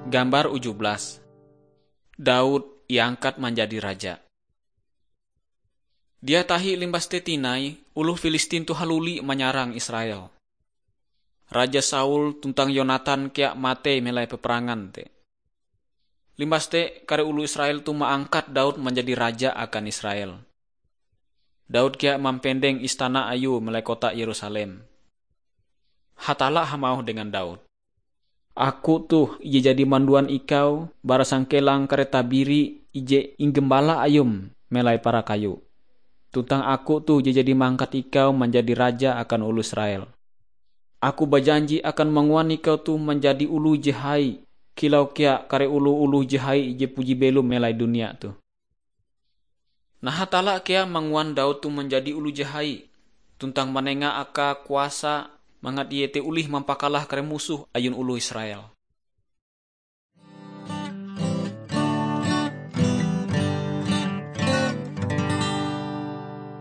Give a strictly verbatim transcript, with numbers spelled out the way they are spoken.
Gambar uju belas. Daud iangkat manjadi raja. Dia tahi limbas te tinai, oloh Filistin toh haluli manyarang Israel. Raja Saul tuntang Yonatan kea matei melai peperangan te. Limbas te, kare oloh Israel toh maangkat Daud manjadi raja akan Israel. Daud kea mampendeng istana ayue melai kota Yerusalem. Hatalla hamauh dengan Daud, "Aku toh ije jadi manduan ikau bara sangkelang kare tabiri ije inggembala ayum melai para kayu. Tuntang aku toh je jadi mangkat ikau manjadi raja akan oloh Israel. Aku bajanji akan manguan ikau toh manjadi oloh je hai, kilau kea kare oloh-oloh je hai je puji belom melai dunia toh." Nah, Hatalla kea manguan Daud toh manjadi oloh je hai, tuntang manenga akae kuasa mangat ie te olih mampakalah kare musoh ayun oloh Israel.